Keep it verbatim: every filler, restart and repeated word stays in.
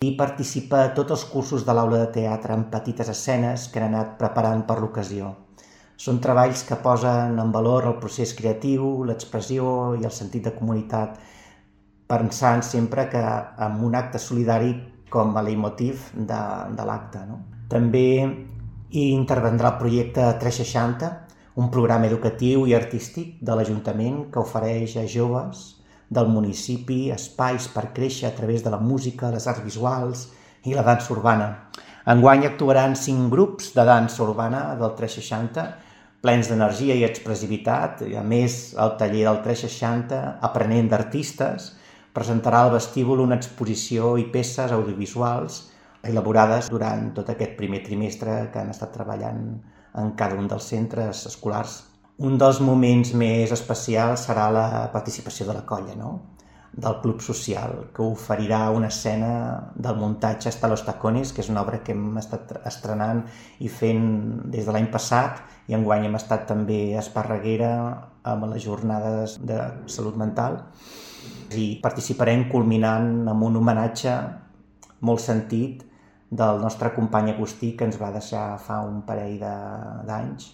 i participa a tots els cursos de l'aula de teatre en petites escenes que han anat preparant per l'ocasió. Són treballs que posen en valor el procés creatiu, l'expressió i el sentit de comunitat, pensant sempre que en un acte solidari com a leitmotiv de, de l'acte. No? També hi intervendrà el projecte tres seixanta, un programa educatiu i artístic de l'Ajuntament que ofereix a joves del municipi espais per créixer a través de la música, les arts visuals i la dansa urbana. Enguany actuaran cinc grups de dansa urbana del tres seixanta, plens d'energia i expressivitat. A més, el taller del tres seixanta, aprenent d'artistes, presentarà al vestíbul una exposició i peces audiovisuals elaborades durant tot aquest primer trimestre que han estat treballant en cada un dels centres escolars. Un dels moments més especials serà la participació de la colla, no? Del Club Social, que oferirà una escena del muntatge Hasta los tacones, que és una obra que hem estat estrenant i fent des de l'any passat, i enguany hem estat també a Esparreguera amb les jornades de salut mental, i participarem culminant amb un homenatge molt sentit del nostre company Agustí, que ens va deixar fa un parell d'anys.